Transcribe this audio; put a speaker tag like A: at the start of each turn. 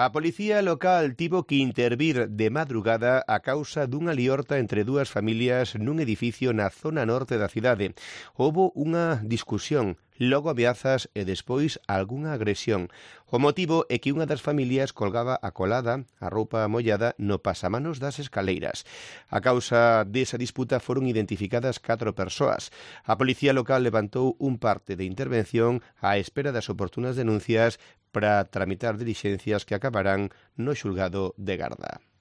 A: A policía local tivo que intervir de madrugada a causa dunha liorta entre dúas familias nun edificio na zona norte da cidade. Houbo unha discusión, logo ameazas e despois algunha agresión. O motivo é que unha das familias colgaba a colada, a roupa mollada, no pasamanos das escaleiras. A causa desa disputa foron identificadas 4 persoas. A policía local levantou un parte de intervención á espera das oportunas denuncias para tramitar dilixencias que acabarán no xulgado de Garda.